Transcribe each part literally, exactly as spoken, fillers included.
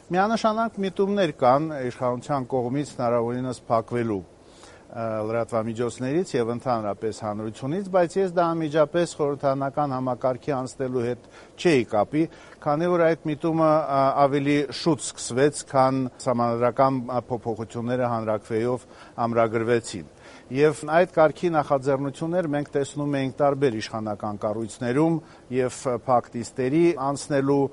Միանշանակ միտումներ կան իշխանության կողմից հնարավորինս փակվելու լրատվամիջոցներից եւ ընդհանրապես հանրությունից, բայց ես դա անմիջապես խորհրդարանական համակարգի անցնելու հետ չէի կապի, քանի որ այդ միտումը ավելի շուտ սկսվեց, քան սահմանադրական փոփոխությունները հանրաքվեով ամրագրվեցին։ Եվ այդ կարգի նախաձեռնություններ մենք տեսնում ենք տարբեր իշխանական կառույցներում եւ փակտիստերի անցնելու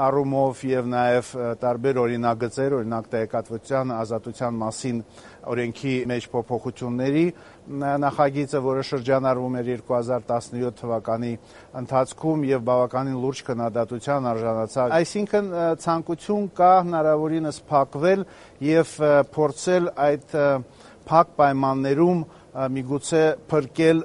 առումով եւ նաեւ տարբեր օրինագծեր, օրինակ տեղեկատվության ազատության մասին օրենքի մեջ փոփոխությունների նախագիծը, որը շրջանառվում էր երկու հազար տասնյոթ թվականի ընթացքում եւ բավականին լուրջ քննադատության արժանացավ։ Այսինքն ցանկություն կա հնարավորինս փակվել եւ փորձել այդ փակ պայմաններում միգուցե փրկել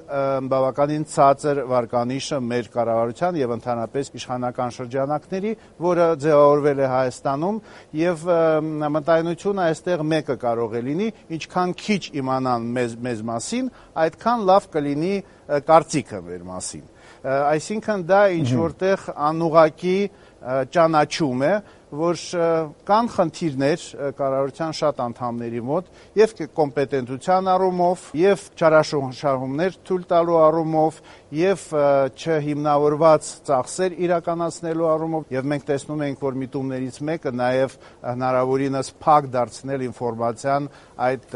բավականին ցածր վարկանիշը մեր կառավարության եւ ընդհանրապես իշխանական շրջանակների, որը ձևավորվել է Հայաստանում եւ մտայնությունը այստեղ մեկը կարող է լինի, ինչքան քիչ իմանան մեզ, մեզ մասին, այդքան լավ կլինի կարծիքը մեր մասին։ Այսինքն դա ինչ որտեղ անուղակի ճանաչում է, որ կան խնդիրներ կառավարության շատ անդամների մոտ եւ կոմպետենտության առումով եւ չարաշահումներ թույլ տալու առումով եւ չհիմնավորված ծախսեր իրականացնելու առումով եւ մենք տեսնում ենք, որ միտումներից մեկը նաեւ հնարավորինս փակ դարձնել ինֆորմացիան այդ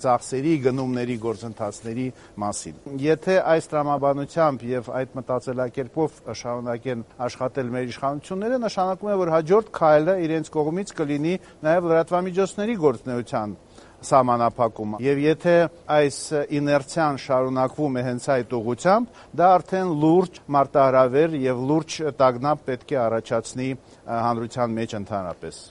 ծախսերի, գնումների, գործընթացների մասին։ Եթե այս տրամաբանությամբ եւ այդ մտածելակերպով շարունակեն աշխատել մեր իշխանությունները, նշանակում է, որ հաջորդ քայլը իրենց կողմից կլինի նաեւ լրատվամիջոցների գործունեության սահմանափակում եւ եթե այս իներցիան շարունակվում է հենց այդ ուղղությամբ, դա արդեն լուրջ մարտահրավեր եւ լուրջ տագնապ պետք է առաջացնի հանրության մեջ ընդհանրապես։